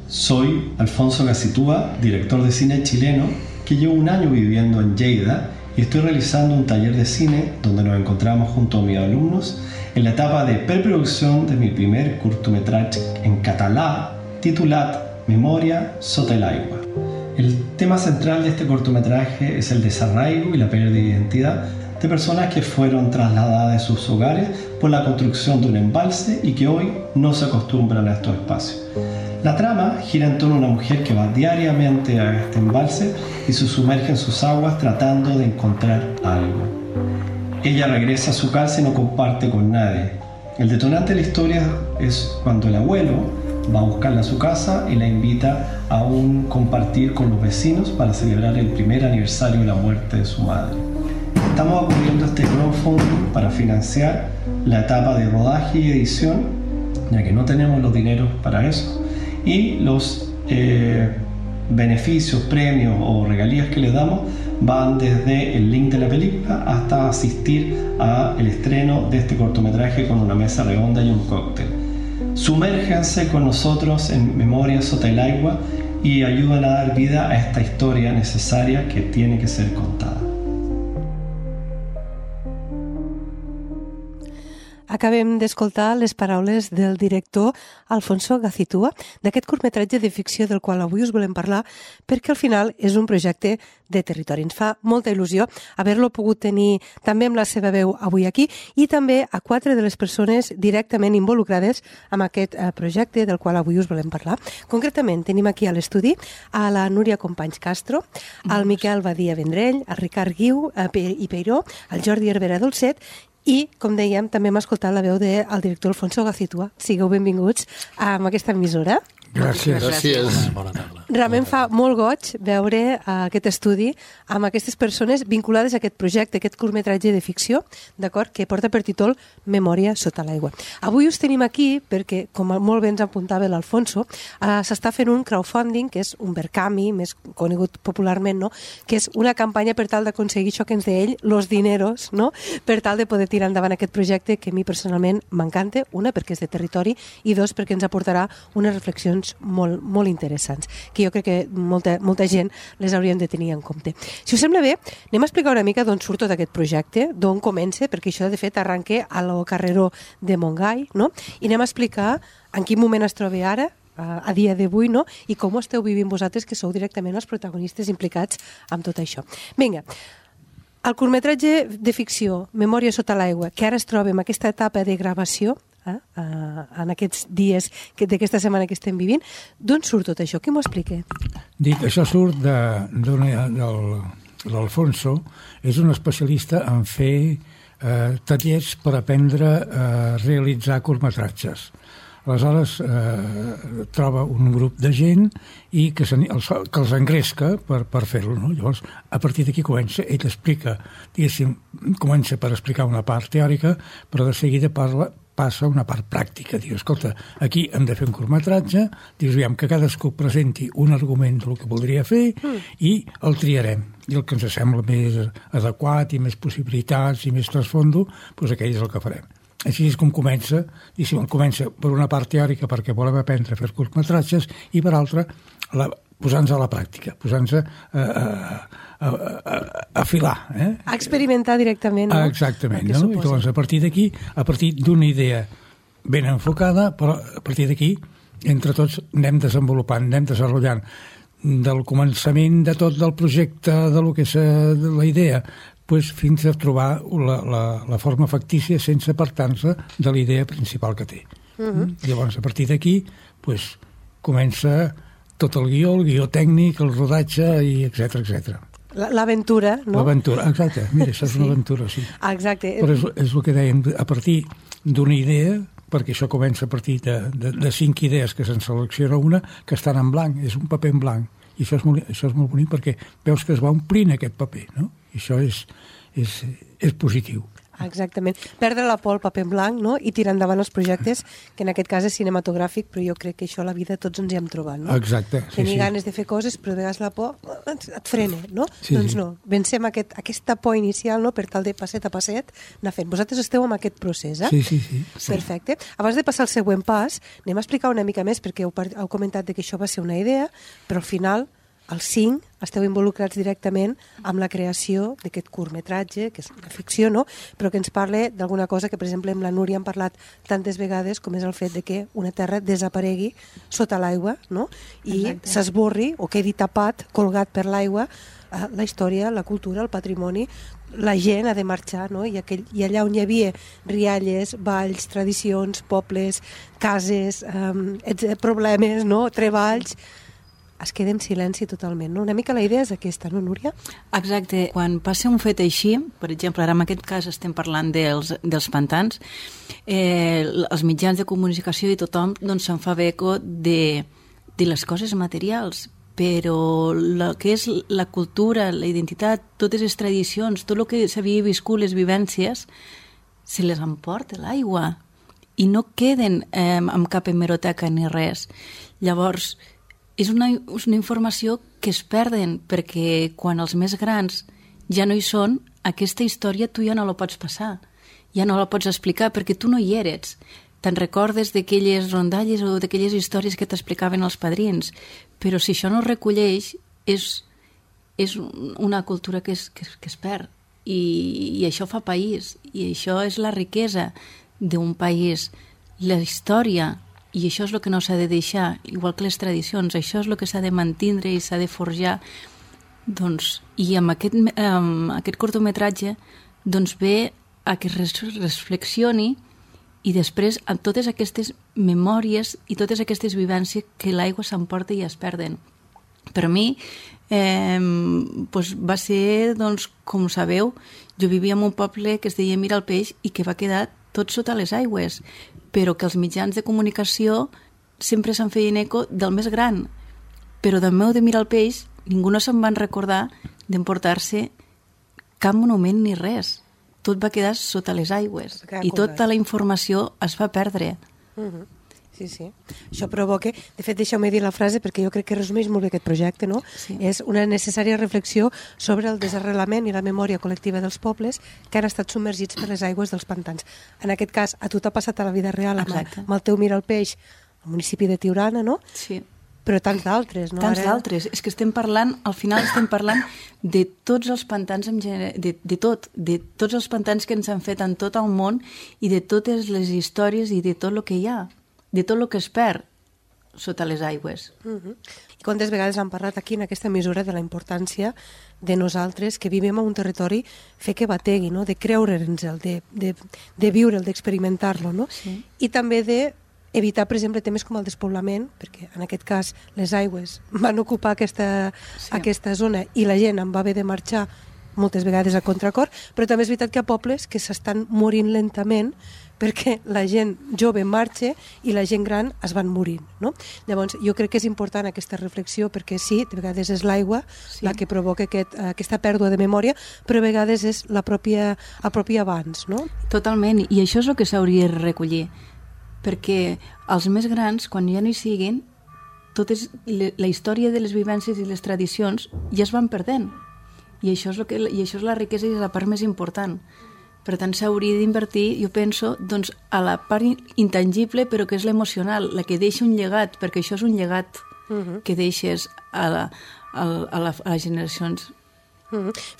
Soy Alfonso Gacitúa, director de cine chileno, que llevo un año viviendo en Lleida y estoy realizando un taller de cine donde nos encontramos junto a mis alumnos en la etapa de preproducción de mi primer cortometraje en català titulat Memòria sota l'aigua. El tema central de este cortometraje es el desarraigo y la pérdida de identidad de personas que fueron trasladadas de sus hogares por la construcción de un embalse y que hoy no se acostumbran a estos espacios. La trama gira en torno a una mujer que va diariamente a este embalse y se sumerge en sus aguas tratando de encontrar algo. Ella regresa a su casa y no comparte con nadie. El detonante de la historia es cuando el abuelo va a buscarla a su casa y la invita a un compartir con los vecinos para celebrar el primer aniversario de la muerte de su madre. Estamos acudiendo a este crowdfunding para financiar la etapa de rodaje y edición, ya que no tenemos los dineros para eso, y los beneficios, premios o regalías que les damos van desde el link de la película hasta asistir al estreno de este cortometraje con una mesa redonda y un cóctel. Sumérjanse con nosotros en Memòria sota l'aigua y ayuden a dar vida a esta historia necesaria que tiene que ser contada. Acabem d'escoltar les paraules del director Alfonso Gacitúa d'aquest curtmetratge de ficció del qual avui us volem parlar perquè al final és un projecte de territori. Ens fa molta il·lusió haver-lo pogut tenir també amb la seva veu avui aquí i també a 4 de les persones directament involucrades amb aquest projecte del qual avui us volem parlar. Concretament tenim aquí a l'estudi a la Núria Companys Castro, al Miquel Badia Vendrell, al Ricard Guiu i Peiró, al Jordi Herrera Dolcet i, com dèiem, també hem escoltat la veu del director Alfonso Gacitúa. Sigueu benvinguts a aquesta emissora. Gràcies. Realment fa molt goig veure aquest estudi amb aquestes persones vinculades a aquest projecte, aquest curtmetratge de ficció, d'acord, que porta per títol Memòria sota l'aigua. Avui us tenim aquí perquè, com molt bé ens apuntava l'Alfonso, s'està fent un crowdfunding, que és un Verkami, més conegut popularment, no? Que és una campanya per tal d'aconseguir això que ens deia ell, los dineros, no? Per tal de poder tirar endavant aquest projecte que a mi personalment m'encanta, una, perquè és de territori, i dos, perquè ens aportarà unes reflexions molt interessants, que jo crec que molta gent les haurien de tenir en compte. Si us sembla bé, anem a explicar una mica d'on surt tot aquest projecte, d'on comença, perquè això de fet arranca a lo carreró de Montgai, no? I anem a explicar en quin moment es troba ara, a dia d'avui, no? I com ho esteu vivint vosaltres, que sou directament els protagonistes implicats amb tot això. Vinga, el curtmetratge de ficció Memòria sota l'aigua, que ara es troba en aquesta etapa de gravació, en aquests dies d'aquesta setmana que estem vivint, d'on surt tot això? Qui m'ho explica? Dic, això surt de l'Alfonso, és un especialista en fer tallers per aprendre a realitzar curtmetratges. Aleshores troba un grup de gent i que els engresca per fer-lo, no? Llavors, a partir d'aquí comença, ell explica, diguéssim, comença per explicar una part teòrica, però de seguida passa una part pràctica. Diu, escolta, aquí hem de fer un curtmetratge, dius, aviam, que cadascú presenti un argument del que voldria fer i el triarem. I el que ens sembla més adequat i més possibilitats i més trasfondo, doncs aquell és el que farem. Així és com comença, i si comença per una part teòrica perquè volem aprendre a fer curtmetratges i per altra posant-nos a la pràctica, posant-nos a filar. A experimentar directament, no? Exactament, no? I llavors a partir d'aquí, a partir d'una idea ben enfocada, però a partir d'aquí entre tots anem desenvolupant, anem desenvolupant del començament de tot del projecte, de lo que és la idea, fins a trobar la forma factícia sense apartar-se de la idea principal que té. Llavors, a partir d'aquí, comença tot el guió tècnic, el rodatge, i etcètera. L'aventura, no? L'aventura, exacte. Mira, això és una aventura, sí. Exacte. Però és el que dèiem, a partir d'una idea, perquè això comença a partir de 5 idees que se'n selecciona una, que estan en blanc, és un paper en blanc. I això és molt bonic perquè veus que es va omplint aquest paper, no? I això és positiu. Exactament. Perdre la por al paper en blanc, no? I tirar endavant els projectes, que en aquest cas és cinematogràfic, però jo crec que això a la vida tots ens hi hem trobat, no? Exacte. Tenir ganes de fer coses, però de vegades la por et frena, no? Sí, doncs no, vencem aquesta por inicial, no?, per tal de passet a passet anar fent. Vosaltres esteu en aquest procés, eh? Sí. Perfecte. Abans de passar al següent pas, anem a explicar una mica més, perquè heu comentat que això va ser una idea, però al final els 5 esteu involucrats directament amb la creació d'aquest curtmetratge, que és una ficció, no?, però que ens parla d'alguna cosa que, per exemple, amb la Núria hem parlat tantes vegades, com és el fet de que una terra desaparegui sota l'aigua, no?, i s'esborri o quedi tapat, colgat per l'aigua, la història, la cultura, el patrimoni, la gent ha de marxar, no?, i allà on hi havia rialles, balls, tradicions, pobles, cases, problemes, no?, treballs, es queda en silenci totalment, no? Una mica la idea és aquesta, no, Núria? Exacte. Quan passa un fet així, per exemple, ara en aquest cas estem parlant dels pantans, els mitjans de comunicació i tothom doncs, se'n fa eco de les coses materials, però el que és la cultura, la identitat, totes les tradicions, tot el que s'havia viscut, les vivències, se les emporta l'aigua i no queden amb cap hemeroteca ni res. Llavors, és una informació que es perden, perquè quan els més grans ja no hi són, aquesta història tu ja no la pots passar, ja no la pots explicar, perquè tu no hi eres. Te'n recordes d'aquelles rondalles o d'aquelles històries que t'explicaven els padrins, però si això no es recolleix, és una cultura que es perd. I això fa país, i això és la riquesa d'un país. La història, i això és el que no s'ha de deixar, igual que les tradicions, això és el que s'ha de mantindre i s'ha de forjar. Doncs, i amb aquest curtmetratge doncs ve a que es reflexioni i després amb totes aquestes memòries i totes aquestes vivències que l'aigua s'emporta i es perden. Per mi va ser, doncs, com sabeu, jo vivia en un poble que es deia Mira el Peix i que va quedar tot sota les aigües, però que els mitjans de comunicació sempre se'n feien eco del més gran. Però del meu de Mira el Peix ningú no se'n van recordar d'emportar-se cap monument ni res. Tot va quedar sota les aigües i tota la informació es va perdre. Sí. Això provoca... De fet, deixeu-me dir la frase perquè jo crec que resumeix molt bé aquest projecte, no? Sí. És una necessària reflexió sobre el desarrelament i la memòria col·lectiva dels pobles que han estat submergits per les aigües dels pantans. En aquest cas, a tu t'ha passat a la vida real amb el teu Mira el Peix, al municipi de Tiurana, no? Sí. Però tants d'altres, no? D'altres. És que al final estem parlant de tots els pantans, de tots els pantans que ens han fet en tot el món i de totes les històries i de tot el que hi ha, de tot el que es perd sota les aigües. I quantes vegades han parlat aquí en aquesta mesura de la importància de nosaltres que vivim en un territori fer que bategui, no? De creure'ns-el, de viure'l, d'experimentar-lo, no? Sí. I també d'evitar, per exemple, temes com el despoblament, perquè en aquest cas les aigües van ocupar aquesta zona i la gent en va haver de marxar moltes vegades a contracor, però també és veritat que hi ha pobles que s'estan morint lentament perquè la gent jove marxa i la gent gran es van morint, no? Llavors, jo crec que és important aquesta reflexió perquè sí, de vegades és l'aigua la que provoca aquesta pèrdua de memòria, però a vegades és el propi abans, no? Totalment, i això és el que s'hauria de recollir, perquè els més grans, quan ja no hi siguin, la història de les vivències i les tradicions ja es van perdent. I això és la riquesa i és la part més important. Per tant, s'hauria d'invertir, jo penso, doncs, a la part intangible, però que és l'emocional, la que deixa un llegat, perquè això és un llegat que deixes a les generacions.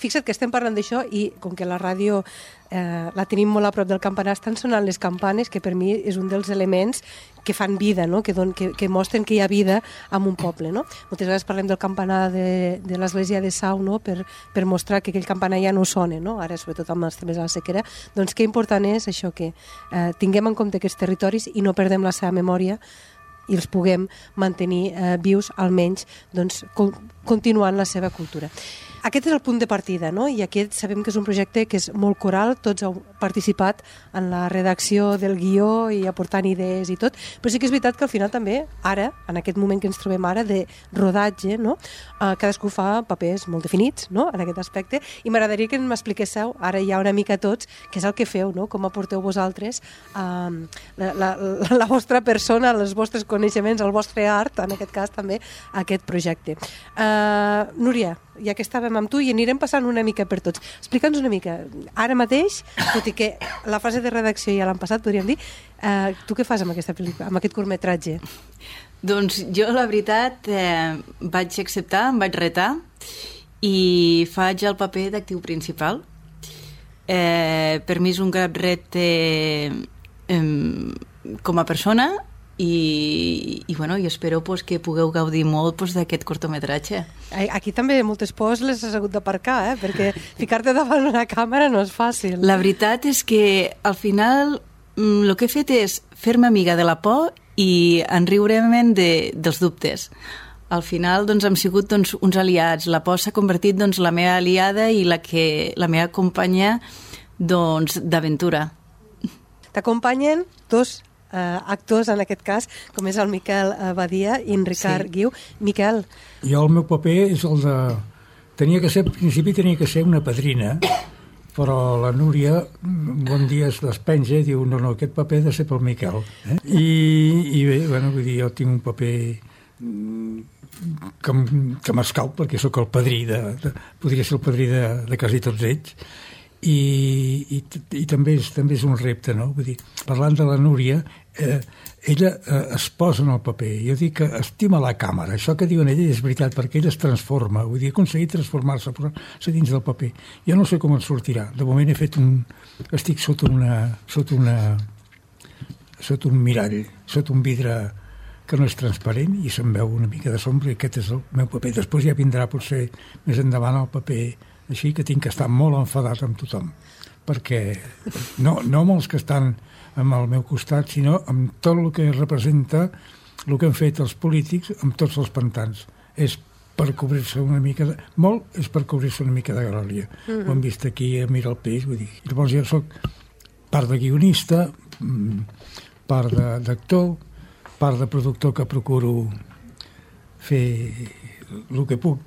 Fixa't que estem parlant d'això i com que la ràdio la tenim molt a prop del campanar, estan sonant les campanes, que per mi és un dels elements que fan vida, no? Que mostren que hi ha vida en un poble, no? Moltes vegades parlem del campanar de l'església de Sau, no? Per mostrar que aquell campanar ja no sona, no? Ara, sobretot amb els temes de la sequera, doncs que important és això, que tinguem en compte aquests territoris i no perdem la seva memòria i els puguem mantenir vius, almenys, doncs, continuant la seva cultura. aquest és el punt de partida, no? I aquest sabem que és un projecte que és molt coral, tots heu participat en la redacció del guió i aportant idees i tot, però sí que és veritat que al final també, ara, en aquest moment que ens trobem ara de rodatge, no? Cadascú fa papers molt definits, no? En aquest aspecte, i m'agradaria que m'expliquéssiu ara ja una mica tots què és el que feu, no? Com aporteu vosaltres la vostra persona, els vostres coneixements, el vostre art, en aquest cas també, a aquest projecte. Núria, ja que estàvem amb tu i anirem passant una mica per tots. Explica'ns una mica, ara mateix, tot i que la fase de redacció ja l'han passat, podríem dir, tu què fas amb aquesta pel·lícula, amb aquest curtmetratge? Doncs jo, la veritat, vaig acceptar, em vaig retar i faig el paper d'actiu principal. Per mi és un gran repte com a persona i espero que pugueu gaudir molt d'aquest curtmetratge. Aquí també moltes pors les has hagut d'aparcar, perquè ficar-te davant una càmera no és fàcil. La veritat és que al final el que he fet és fer-me amiga de la por i enriure-me'n dels dubtes. Al final hem sigut uns aliats. La por s'ha convertit la meva aliada i la meva companya d'aventura. T'acompanyen dos actors, en aquest cas, com és el Miquel Badia i en Ricard Guiu. Miquel. Jo el meu paper és el de... Al principi tenia que ser una padrina, però la Núria un dia es despenja i diu no, aquest paper ha de ser pel Miquel. I bé, vull dir, jo tinc un paper que m'escau perquè sóc el padrí podria ser el padrí de quasi tots ells. I també és un repte, no? Vull dir, parlant de la Núria, ella es posa en el paper. Jo dic que estima la càmera. Això que diuen ella és veritat, perquè ella es transforma. Vull dir, ha aconseguit transformar-se, posar-se dins del paper. Jo no sé com en sortirà. De moment estic sota un mirall, sota un vidre que no és transparent i se'm veu una mica de sombra i aquest és el meu paper. Després ja vindrà potser més endavant el paper així que tinc que estar molt enfadat amb tothom, perquè no amb els que estan amb el meu costat, sinó amb tot el que representa el que han fet els polítics amb tots els pantans. És per cobrir-se una mica és per cobrir-se una mica de glòria. Ho hem vist aquí a Miralpeix, vull dir. Llavors jo soc part de guionista, part d'actor, part de productor que procuro fer el que puc,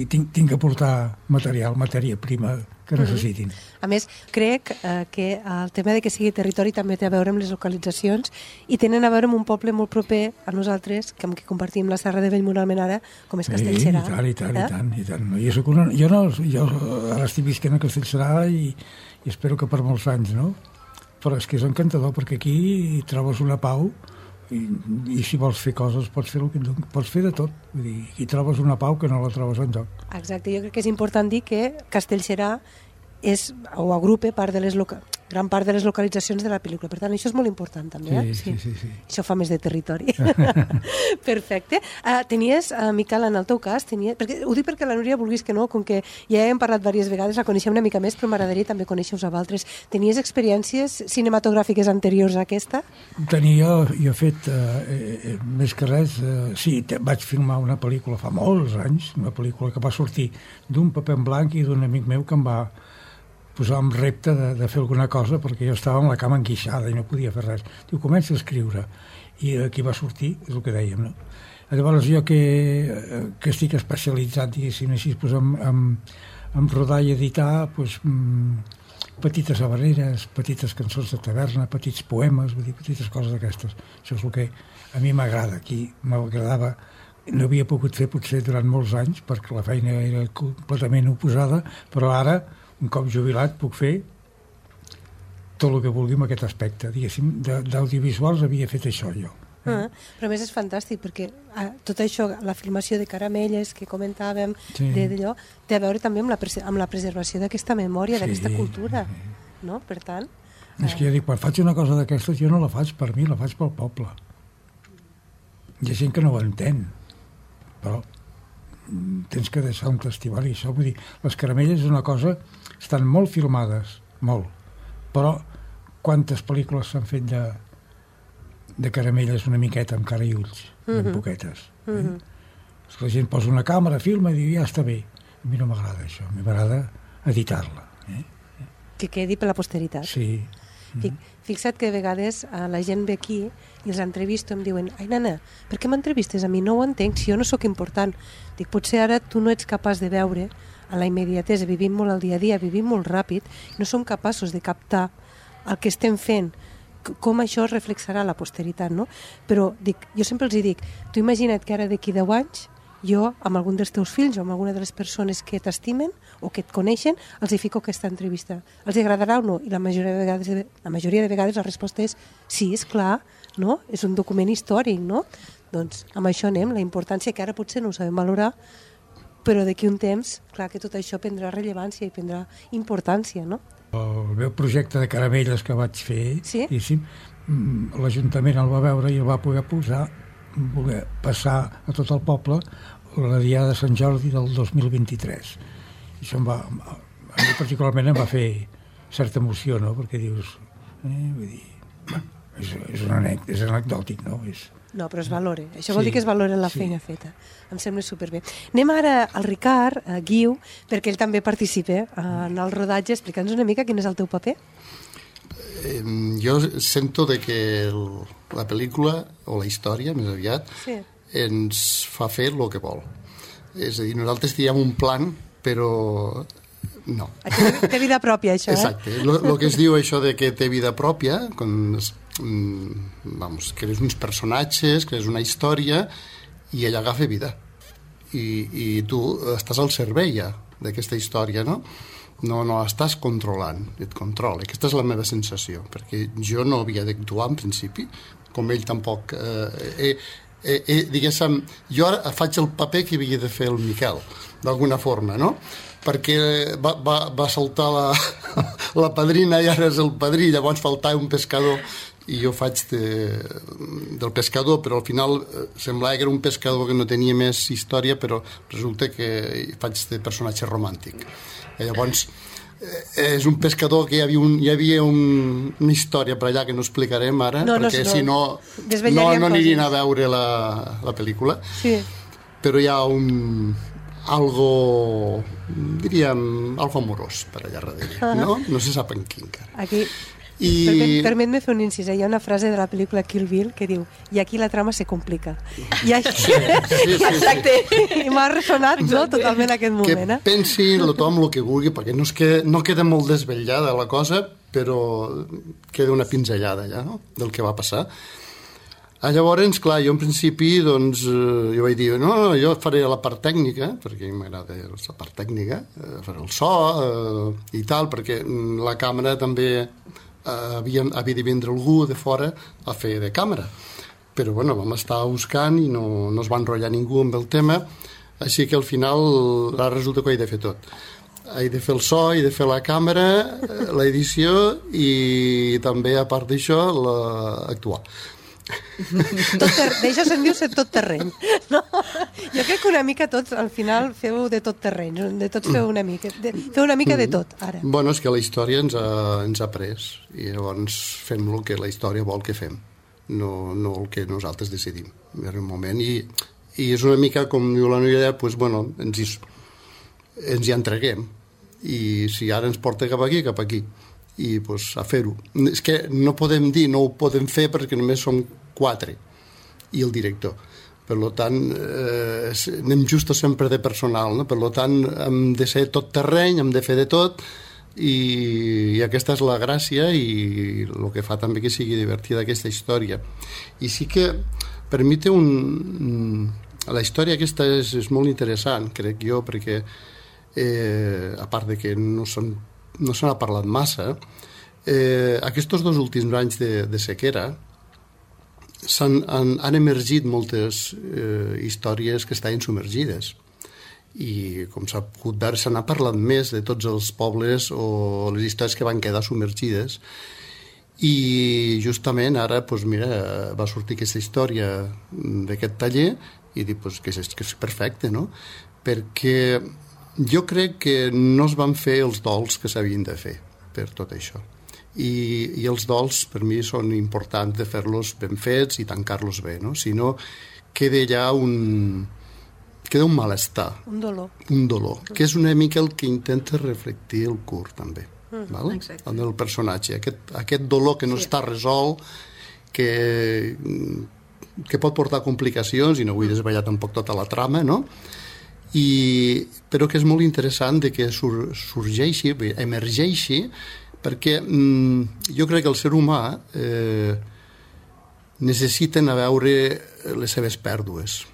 tinc que portar matèria prima que necessitin. A més, crec que el tema de que sigui territori també té a veure amb les localitzacions i tenen a veure amb un poble molt proper a nosaltres, amb qui compartim la Serra de Bellmunt Almenara, com és Castellserà. I tant. Jo ara estic visquent a Castellserà i espero que per molts anys, no? Però és que és encantador, perquè aquí hi trobes una pau i si vols fer coses pots fer de tot. Vull dir, hi trobes una pau que no la trobes enlloc. Exacte, jo crec que és important dir que Castellserà agrupa gran part de les localitzacions de la pel·lícula. Per tant, això és molt important també. Sí. Això fa més de territori. Perfecte. Tenies, Miquel, en el teu cas, ho dic perquè la Núria vulguis que no, com que ja hem parlat diverses vegades, la coneixem una mica més, però m'agradaria també conèixer-us a vosaltres. Tenies experiències cinematogràfiques anteriors a aquesta? Jo he fet, més que res, vaig filmar una pel·lícula fa molts anys, una pel·lícula que va sortir d'un paper en blanc i d'un amic meu que em va posar un repte de fer alguna cosa perquè jo estava amb la cama enguixada i no podia fer res. Diu, comença a escriure. I aquí va sortir, és el que dèiem, no? Llavors jo que estic especialitzat, diguéssim així, en rodar i editar, petites habaneres, petites cançons de taverna, petits poemes, vull dir, petites coses d'aquestes. Això és el que a mi m'agrada. Aquí m'agradava, no havia pogut fer potser durant molts anys perquè la feina era completament oposada, però ara un cop jubilat puc fer tot el que vulgui en aquest aspecte. Diguéssim, d'audiovisuals havia fet això jo. Però a més és fantàstic perquè tot això, la filmació de Caramelles que comentàvem, d'allò, té a veure també amb la preservació d'aquesta memòria, d'aquesta cultura, no? Per tant... És que jo dic, quan faig una cosa d'aquestes jo no la faig per mi, la faig pel poble. Hi ha gent que no ho entén, però tens que deixar un testimoni. Això vull dir, les Caramelles és una cosa, estan molt filmades, molt, però quantes pel·lícules s'han fet de Caramelles una miqueta amb cara i ulls, ben poquetes. La gent posa una càmera, filma i diu, ja està bé. A mi no m'agrada això, a mi m'agrada editar-la. Que quedi per la posteritat. Sí. Fixa't que a vegades la gent ve aquí i els entrevisto i em diuen: ai, nana, per què m'entrevistes a mi? No ho entenc, si jo no sóc important. Dic, potser ara tu no ets capaç de veure a la immediatesa, vivim molt al dia a dia, vivim molt ràpid, no som capaços de captar el que estem fent, com això es reflexarà a la posteritat, no? Però dic, jo sempre els dic, tu imagina't que ara d'aquí 10 anys jo, amb algun dels teus fills o amb alguna de les persones que t'estimen o que et coneixen, els hi fico aquesta entrevista. Els agradarà o no? I la majoria de vegades la resposta és sí, és clar, no? És un document històric, no? Doncs amb això anem, la importància que ara potser no ho sabem valorar, però d'aquí un temps, clar que tot això prendrà rellevància i prendrà importància, no? El meu projecte de caramelles que vaig fer, sí? L'Ajuntament el va veure i el va poder voler passar a tot el poble la Diada de Sant Jordi del 2023. I això a mi particularment em va fer certa emoció, no? Perquè dius, vull dir, és anecdòtic, no? No, però es valora. Això vol dir que es valora la feina feta. Em sembla superbé. Anem ara al Ricard Guiu, perquè ell també participa en el rodatge. Explica'ns una mica quin és el teu paper. Jo sento de que la pel·lícula, o la història, més aviat, ens fa fer el que vol. És a dir, nosaltres diem un plan, però no. Té vida pròpia, això, Exacte. El que es diu això de que té vida pròpia, crees uns personatges, crees una història, i ella agafa vida. I tu estàs al servei ja d'aquesta història, no? No estàs controlant, et controla. Aquesta és la meva sensació, perquè jo no havia d'actuar en principi, com ell tampoc. Diguéssim, jo ara faig el paper que havia de fer el Miquel, d'alguna forma, no? Perquè va saltar la padrina i ara és el padrí, llavors faltava un pescador i jo faig del pescador, però al final semblava que era un pescador que no tenia més història, però resulta que faig de personatge romàntic. I llavors és un pescador que hi havia una història per allà que no explicarem ara, perquè si no anirien a veure la pel·lícula. Sí. Però hi ha algo amorós per allà darrere, no? No se sap en quin encara. Aquí, permet-me fer un incís. Hi ha una frase de la pel·lícula Kill Bill que diu: i aquí la trama se complica. I aquí... Exacte. I m'ha ressonat, no?, totalment aquest moment. Que pensi tothom el que vulgui, perquè no queda molt desvetllada la cosa, però queda una pinzellada ja, no?, del que va passar. Llavors, clar, jo en principi, doncs, jo vaig dir, no, jo faré la part tècnica, perquè m'agrada la part tècnica, faré el so i tal, perquè la càmera també havia de vindre algú de fora a fer de càmera. Però, bueno, vam estar buscant i no es va enrotllar ningú amb el tema, així que al final resulta que ho he de fer tot. He de fer el so, he de fer la càmera, l'edició i també, a part d'això, actuar. D'això se'n diu ser tot terreny, no? Jo crec que una mica tots al final feu de tot terreny, de tots feu una mica de tot ara. Bueno, és que la història ens ha pres i llavors fem el que la història vol que fem, no el que nosaltres decidim en un moment, i és una mica com diu la noia, doncs, bueno, ens hi entreguem, i si ara ens porta cap aquí i pues, a fer-ho. És que no podem dir, no ho podem fer perquè només som 4 i el director. Per tant, anem just sempre de personal, no? Per tant, hem de ser tot terreny, hem de fer de tot, i aquesta és la gràcia i el que fa també que sigui divertida aquesta història. I sí que per mi té la història aquesta és molt interessant, crec jo, perquè a part de que no se n'ha parlat massa, aquests 2 últims anys de sequera han emergit moltes històries que estaven submergides, i com s'ha pogut veure se n'ha parlat més de tots els pobles o les històries que van quedar submergides, i justament ara doncs mira, va sortir aquesta història d'aquest taller i dic doncs, que és perfecte, no? Perquè jo crec que no es van fer els dols que s'havien de fer per tot això, i els dols per mi són importants de fer-los ben fets i tancar-los bé, no? Si no queda ja queda un malestar. Un dolor. Un dolor, que és una mica el que intenta reflectir el curt, també. Val? El del personatge. Aquest dolor que no està resolt, que pot portar complicacions, i no vull desvetllar tampoc tota la trama, no? Però que és molt interessant de que sorgeixi, emergeixi, perquè jo crec que el ser humà necessiten a veure les seves pèrdues.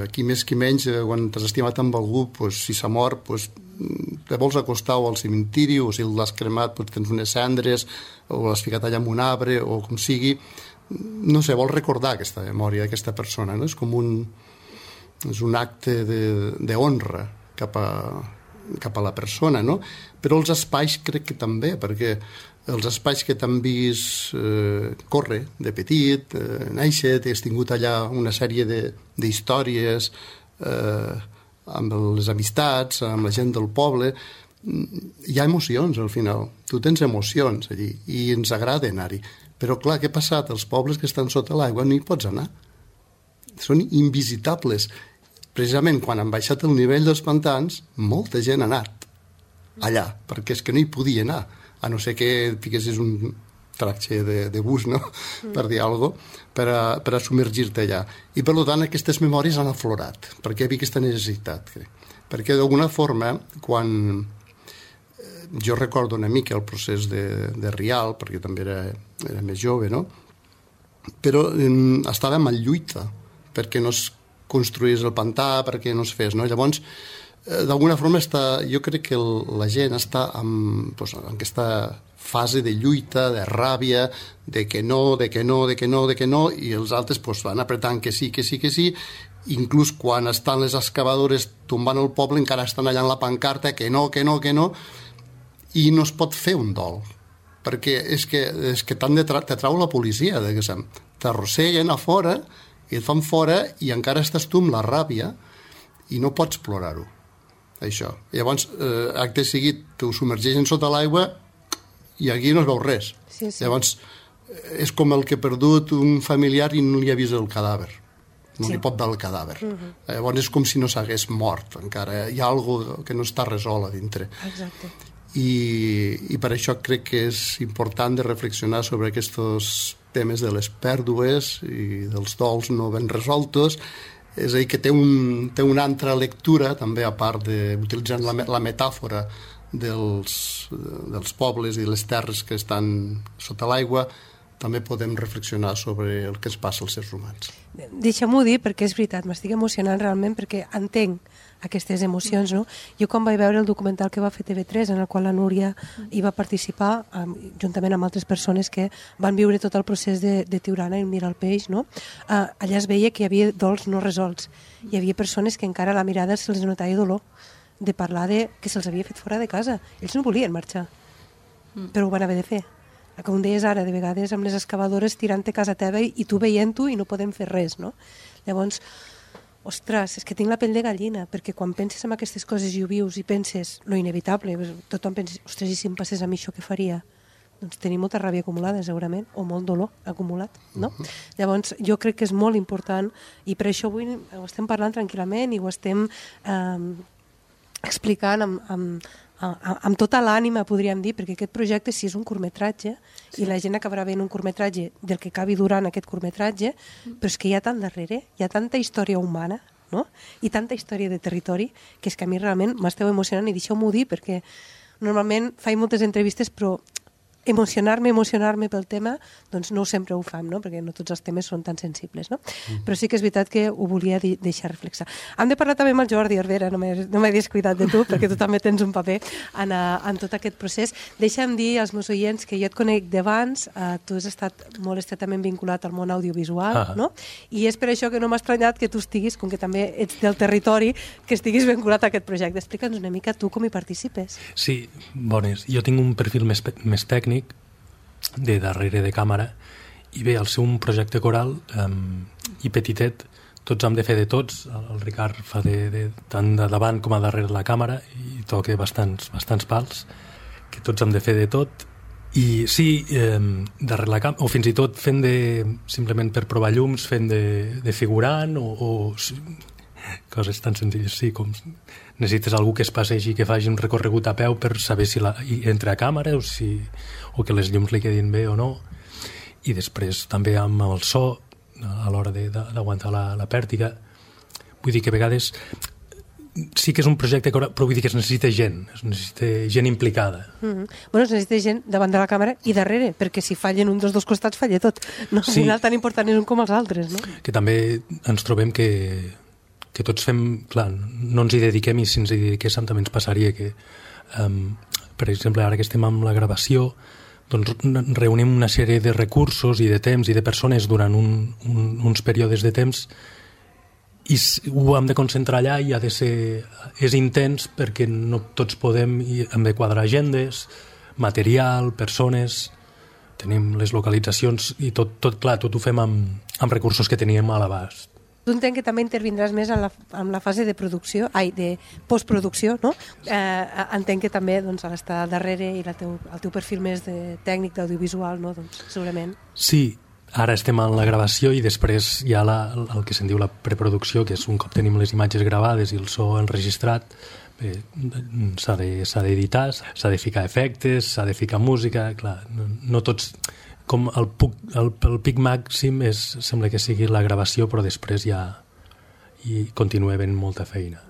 Aquí més que menys, quan t'has estimat amb algú, si s'ha mort, te vols acostar o al cementiri, o si l'has cremat tens unes cendres, o l'has ficat allà en un arbre, o com sigui. No sé, vols recordar aquesta memòria d'aquesta persona, no? És com un acte d'honra cap a la persona, no? Però els espais crec que també, perquè els espais que t'han vist córrer de petit, néixer, has tingut allà una sèrie d'històries amb les amistats, amb la gent del poble, hi ha emocions al final, tu tens emocions allí i ens agrada anar-hi, però clar, què ha passat? Els pobles que estan sota l'aigua no hi pots anar, són invisitables. Precisament quan han baixat el nivell dels pantans, molta gent ha anat allà, perquè és que no hi podia anar, a no ser que fiquessis un tracte de bus, no? Per dir alguna cosa, per a submergir-te allà. I per tant aquestes memòries han aflorat, perquè hi havia aquesta necessitat. Perquè d'alguna forma, quan jo recordo una mica el procés de Rial, perquè també era més jove, no? Però estàvem en lluita perquè no es construís el pantà, perquè no es fes, no? Llavors, d'alguna forma jo crec que la gent està en aquesta fase de lluita, de ràbia, de que no, i els altres van apretant que sí, inclús quan estan les excavadores tombant el poble encara estan allà en la pancarta que no, i no es pot fer un dol, perquè és que te trau la policia, t'arrosseguen a fora i et fan fora i encara estàs tu amb la ràbia i no pots plorar-ho. Això. Llavors, acte seguit, t'ho submergeixen sota l'aigua i aquí no es veu res. Sí. Llavors, és com el que ha perdut un familiar i no li ha vist el cadàver. No li pot veure el cadàver. Llavors, és com si no s'hagués mort encara. Hi ha alguna cosa que no està resolt a dintre. Exacte. I per això crec que és important de reflexionar sobre aquests temes de les pèrdues i dels dols no ben resoltos. És a dir, que té una altra lectura, també, a part d'utilitzant la metàfora dels pobles i les terres que estan sota l'aigua, també podem reflexionar sobre el que ens passa als éssers humans. Deixa-m'ho dir, perquè és veritat, m'estic emocionant realment perquè entenc aquestes emocions, no? Jo quan vaig veure el documental que va fer TV3, en el qual la Núria hi va participar, juntament amb altres persones que van viure tot el procés de Tiurana i mirar el peix, no? Allà es veia que hi havia dols no resolts. Hi havia persones que encara a la mirada se'ls notava dolor de parlar que se'ls havia fet fora de casa. Ells no volien marxar, però ho van haver de fer. Com deies ara, de vegades amb les excavadores tirant-te a casa teva i tu veient-ho i no podem fer res, no? Llavors, ostres, és que tinc la pell de gallina, perquè quan penses en aquestes coses i ho vius i penses lo inevitable, tothom pensa, ostres, i si em passés a mi això, què faria? Doncs tenir molta ràbia acumulada, segurament, o molt dolor acumulat, no? Llavors, jo crec que és molt important, i per això avui ho estem parlant tranquil·lament i ho estem explicant amb tota l'ànima, podríem dir, perquè aquest projecte sí és un curtmetratge i la gent acabarà veient un curtmetratge del que acabi durant aquest curtmetratge, però és que hi ha tant darrere, hi ha tanta història humana, no? I tanta història de territori, que és que a mi realment m'esteu emocionant i deixeu-m'ho dir, perquè normalment faig moltes entrevistes, però emocionar-me pel tema, doncs no sempre ho fam, no? Perquè no tots els temes són tan sensibles, no? Però sí que és veritat que ho volia deixar reflexar. Hem de parlar també amb el Jordi Herrera, no m'he descuidat de tu, perquè tu també tens un paper en tot aquest procés. Deixa'm dir als meus oients que jo et conec d'abans, tu has estat molt estretament vinculat al món audiovisual, no? I és per això que no m'ha estranyat que tu estiguis, com que també ets del territori, que estiguis vinculat a aquest projecte. Explica'ns una mica tu com hi participes. Sí, bones. Jo tinc un perfil més tècnic, de darrere de càmera, i bé, al ser un projecte coral i petitet, tots hem de fer de tots. El Ricard fa tant de davant com a darrere la càmera i toca bastants pals, que tots hem de fer de tot. I sí, darrere la càmera, o fins i tot fent simplement per provar llums, fent de figurant, o coses tan senzilles, sí, com necessites algú que es passegi, que faci un recorregut a peu per saber si entra a càmera o que les llums li quedin bé o no, i després també amb el so a l'hora d'aguantar la pèrtiga. Vull dir que a vegades sí que és un projecte, però vull dir que es necessita gent implicada. Bueno, es necessita gent davant de la càmera i darrere, perquè si fallen un dels dos costats falla tot. No? Al final tan important és un com els altres, no? Que també ens trobem que tots fem, clar, no ens hi dediquem, i si ens hi dediquéssim també ens passaria que, per exemple, ara que estem amb la gravació, doncs reunim una sèrie de recursos i de temps i de persones durant uns períodes de temps, i ho hem de concentrar allà i és intens perquè no tots podem, i hem de quadrar agendes, material, persones, tenim les localitzacions i tot ho fem amb recursos que teníem a l'abast. Tu entenc que també intervindràs més en la fase de producció, de postproducció, no? Entenc que també doncs, estar darrere i el teu perfil més de tècnic d'audiovisual, no? Doncs, segurament. Sí, ara estem en la gravació i després hi ha el que se'n diu la preproducció, que és un cop tenim les imatges gravades i el so enregistrat, s'ha d'editar, s'ha de ficar efectes, s'ha de ficar música, clar, no tots... Com el pic màxim sembla que sigui la gravació, però després ja hi continua havent molta feina.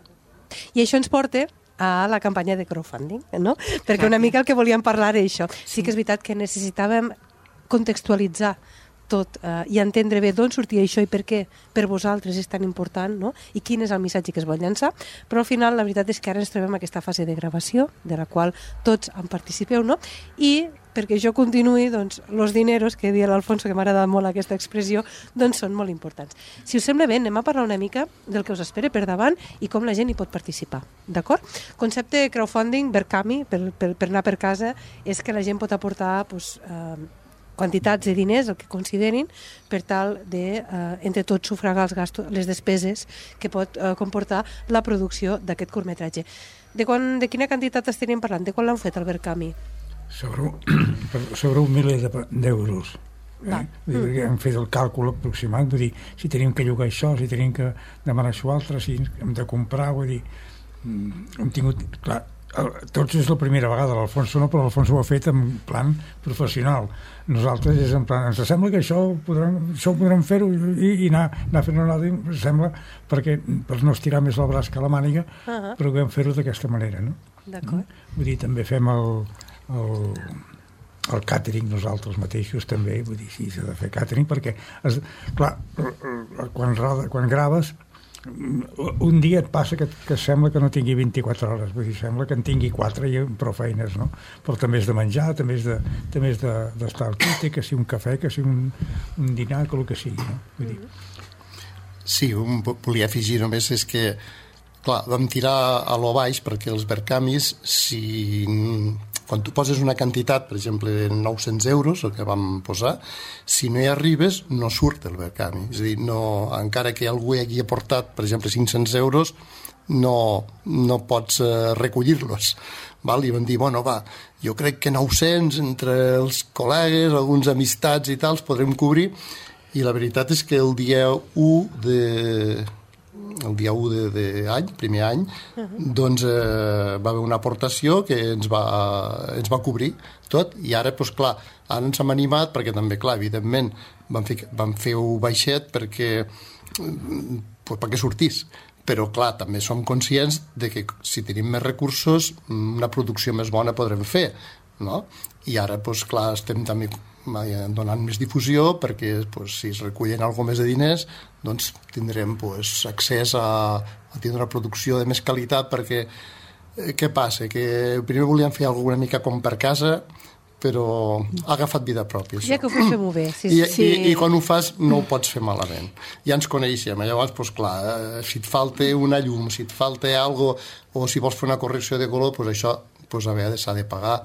I això ens porta a la campanya de crowdfunding, no? Perquè una mica el que volíem parlar és això. Sí que és veritat que necessitàvem contextualitzar tot i entendre bé d'on sortia això i per què per vosaltres és tan important, no? I quin és el missatge que es vol llançar, però al final la veritat és que ara ens trobem aquesta fase de gravació de la qual tots en participeu, no? I perquè això continuï, doncs, los dineros, que deia l'Alfonso, que m'ha agradat molt aquesta expressió, doncs són molt importants. Si us sembla bé, anem a parlar una mica del que us espera per davant i com la gent hi pot participar, d'acord? Concepte crowdfunding, Verkami, per anar per casa, és que la gent pot aportar quantitats de diners, el que considerin, per tal de, entre tots, sufragar els gastos, les despeses que pot comportar la producció d'aquest curtmetratge. De quina quantitat estaríem parlant? De quan l'han fet, el Verkami? Sobre un miler d'euros. Hem fet el càlcul aproximat, vull dir, si tenim que llogar això, si tenim que demanar això altre, si hem de comprar, vull dir, hem tingut, clar, tots és la primera vegada, l'Alfonso no, però l'Alfonso ho ha fet en plan professional. Nosaltres és en plan, ens sembla que això podrem fer-ho i anar fent una altra, ens sembla, per no estirar més el braç que la màniga, però vam fer-ho d'aquesta manera, no? D'acord. Vull dir, també fem el càtering nosaltres mateixos també, vull dir, sí, s'ha de fer càtering perquè, clar, quan graves un dia et passa que sembla que no tingui 24 hores, vull dir, sembla que en tingui 4 i prou feines, no? Però també és de menjar, també és d'estar al quite, que sigui un cafè, que sigui un dinar, que el que sigui, no? Vull dir. Sí, volia afegir només és que, clar, vam tirar a lo baix perquè els Verkamis, quan tu poses una quantitat, per exemple, de 900 euros, el que vam posar, si no hi arribes, no surt el Verkami. És a dir, encara que algú hagi aportat, per exemple, 500 euros, no pots recollir-los. I vam dir, bueno, va, jo crec que 900 entre els col·legues, alguns amistats i tals, podrem cobrir, i la veritat és que el dia 1 d'any, primer any, doncs va haver una aportació que ens va cobrir tot, i ara, doncs clar, ara ens hem animat perquè també, clar, evidentment vam fer un baixet perquè sortís, però clar, també som conscients de que si tenim més recursos una producció més bona podrem fer, no? I ara, doncs clar, estem també donant més difusió perquè si es recullen alguna més de diners doncs tindrem accés a tindre una producció de més qualitat, perquè què passa? Que primer volíem fer alguna mica com per casa, però ha agafat vida pròpia. Ja que ho pots fer molt bé. I quan ho fas no ho pots fer malament. Ja ens coneixem, llavors, doncs clar, si et falta una llum, si et falta alguna cosa, o si vols fer una correcció de color, doncs això a vegades s'ha de pagar,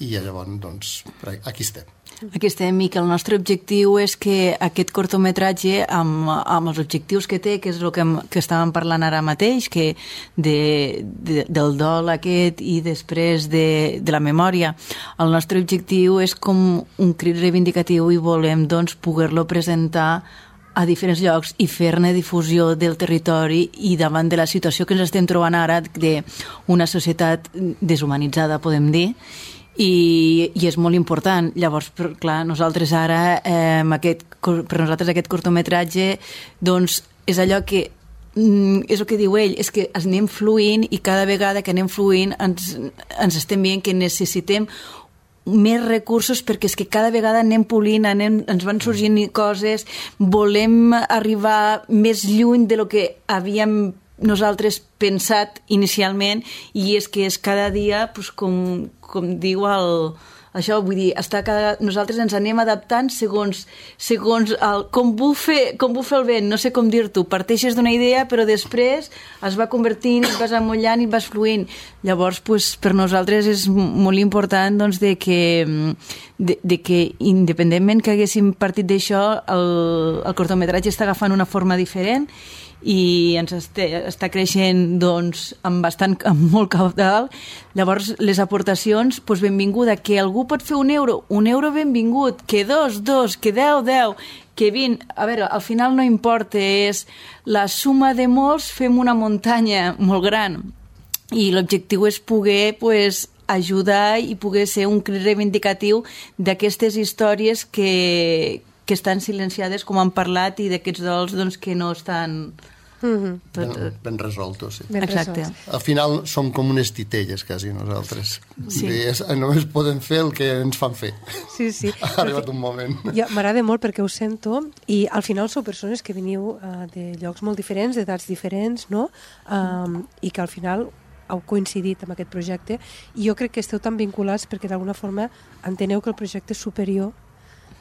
i llavors, doncs, aquí estem. Aquí estem, i que el nostre objectiu és que aquest curtmetratge, amb els objectius que té, que és el que estàvem parlant ara mateix, que del dol aquest i després de la memòria, el nostre objectiu és com un crit reivindicatiu i volem doncs poder-lo presentar a diferents llocs i fer-ne difusió del territori i davant de la situació que ens estem trobant ara d'una societat deshumanitzada, podem dir, i és molt important. Llavors, clar, nosaltres ara, per nosaltres aquest curtmetratge, doncs, és allò que és el que diu ell, és que anem fluint i cada vegada que anem fluint ens estem veient que necessitem més recursos perquè és que cada vegada anem polint, ens van sorgint coses, volem arribar més lluny de lo que havíem nosaltres pensat inicialment, i és que és cada dia, pues, com diu això, vull dir, nosaltres ens anem adaptant segons com bufa el vent, no sé com dir-t'ho, parteixes d'una idea però després es va convertint, et vas amollant i et vas fluint. Llavors, pues, per nosaltres és molt important, doncs, de que independentment que haguéssim partit d'això, el curtmetratge està agafant una forma diferent i ens està creixent, doncs, amb molt caudal. Llavors, les aportacions, doncs, benvinguda. Que algú pot fer un euro benvingut, que dos, que 10, que 20. A veure, al final no importa, és la suma de molts, fem una muntanya molt gran. I l'objectiu és poder, pues, ajudar i poder ser un crit reivindicatiu d'aquestes històries que estan silenciades, com han parlat, i d'aquests dols, doncs, que no estan ben resoltos. Sí. Exacte. Al final som com unes titelles, quasi, nosaltres. Sí. Només podem fer el que ens fan fer. Sí. Ha arribat un moment. M'agrada molt perquè ho sento, i al final sou persones que veniu de llocs molt diferents, d'edats diferents, no? I que al final heu coincidit amb aquest projecte, i jo crec que esteu tan vinculats perquè d'alguna forma enteneu que el projecte és superior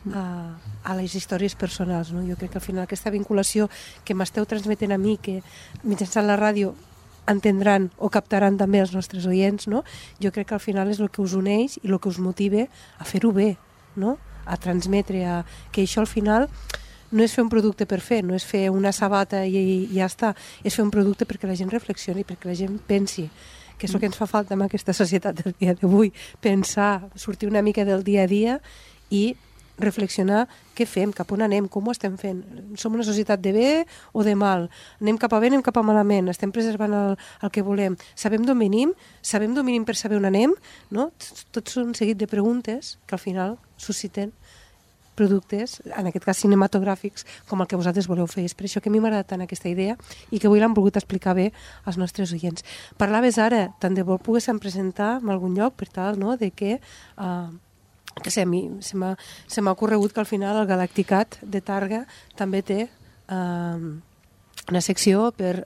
a les històries personals, no? Jo crec que al final aquesta vinculació que m'esteu transmetent a mi, que mitjançant la ràdio entendran o captaran també els nostres oients, no? Jo crec que al final és el que us uneix i el que us motiva a fer-ho bé, no? A transmetre, que això al final no és fer un producte per fer, no és fer una sabata i ja està, és fer un producte perquè la gent reflexioni, perquè la gent pensi, que és el que ens fa falta en aquesta societat del dia d'avui, pensar, sortir una mica del dia a dia i reflexionar què fem, cap on anem, com ho estem fent. Som una societat de bé o de mal? Anem cap a bé, anem cap a malament? Estem preservant el que volem? Sabem d'on venim? Sabem d'on venim per saber on anem? No? Tots són un seguit de preguntes que al final susciten productes, en aquest cas cinematogràfics, com el que vosaltres voleu fer. És per això que a mi m'agrada tant aquesta idea i que avui l'han volgut explicar bé als nostres oients. Parlaves ara, tant de bo poguéssim presentar en algun lloc per tal, no?, de que sé, a mi se m'ha ocorregut que al final el Galacticat de Targa també té una secció per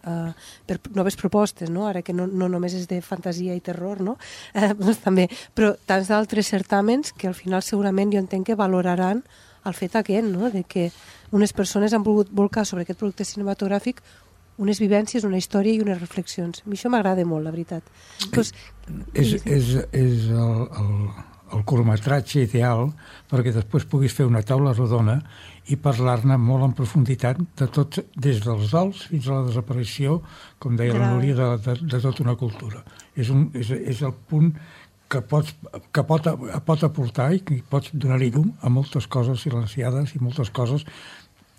noves propostes, no? Ara que no només és de fantasia i terror, no? Doncs també, però tants d'altres certàmens que al final segurament jo entenc que valoraran el fet aquest, no?, de que unes persones han volgut volcar sobre aquest producte cinematogràfic unes vivències, una història i unes reflexions. A mi això m'agrada molt, la veritat. Pues, és el curtmetratge ideal perquè després puguis fer una taula rodona i parlar-ne molt en profunditat de tot, des dels dols fins a la desaparició, com deia la Núria, de tota una cultura. És el punt que pot aportar i que pots donar-hi llum a moltes coses silenciades i moltes coses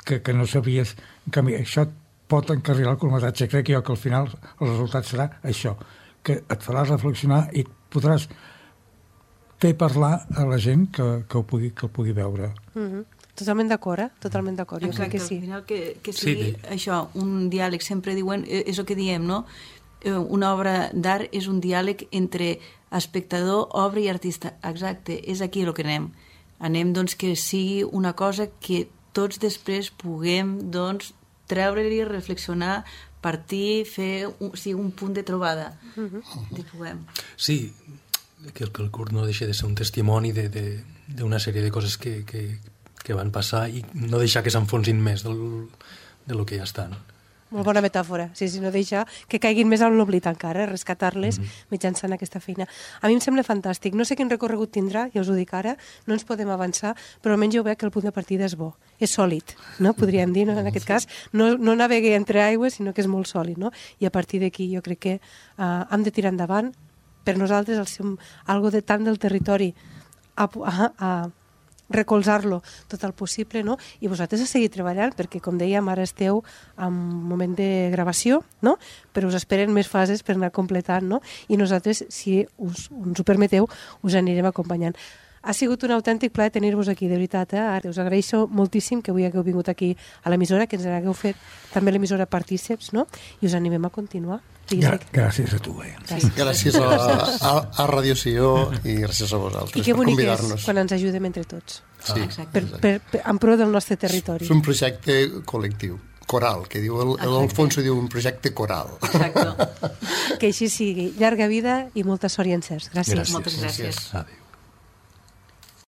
que no sabies. En canvi, això et pot encarrilar el curtmetratge. Crec jo que al final el resultat serà això, que et farà reflexionar i podràs fer parlar a la gent que el pugui veure. Totalment d'acord, Totalment d'acord. Jo crec que sí. Al final que sigui això, un diàleg, sempre diuen, és el que diem, no? Una obra d'art és un diàleg entre espectador, obra i artista. Exacte, és aquí el que anem. Anem, doncs, que sigui una cosa que tots després puguem, doncs, treure-li, reflexionar, partir, fer un punt de trobada. Sí, que el curt no deixa de ser un testimoni d'una sèrie de coses que van passar i no deixar que s'enfonsin més del que ja estan. Molt bona metàfora, sí, no deixar que caiguin més en l'oblit encara, rescatar-les mitjançant aquesta feina. A mi em sembla fantàstic, no sé quin recorregut tindrà, ja us ho dic ara, no ens podem avançar, però almenys jo veig que el punt de partida és bo, és sòlid, no? Podríem dir, no? En aquest cas, no navegui entre aigües, sinó que és molt sòlid, no? I a partir d'aquí jo crec que hem de tirar endavant. Per nosaltres, algo de tant del territori a recolzar-lo tot el possible, no? I vosaltres a seguir treballant, perquè, com dèiem, ara esteu en un moment de gravació, no? Però us esperen més fases per anar completant, no? I nosaltres, si ens ho permeteu, us anirem acompanyant. Ha sigut un autèntic plaer tenir-vos aquí, de veritat. Us agraeixo moltíssim que avui hagueu vingut aquí a l'emissora, que ens hagueu fet també l'emissora partíceps, no? I us animem a continuar. Gràcies a tu. Gràcies a Radio Sió i gràcies a vosaltres per convidar-nos. I que bonic és quan ens ajudem entre tots. Sí, en pro del nostre territori. És un projecte col·lectiu, coral, que diu l'Alfonso, diu un projecte coral. Exacte. Que així sigui. Llarga vida i molta sort i encerts. Gràcies. Moltes gràcies. Adéu.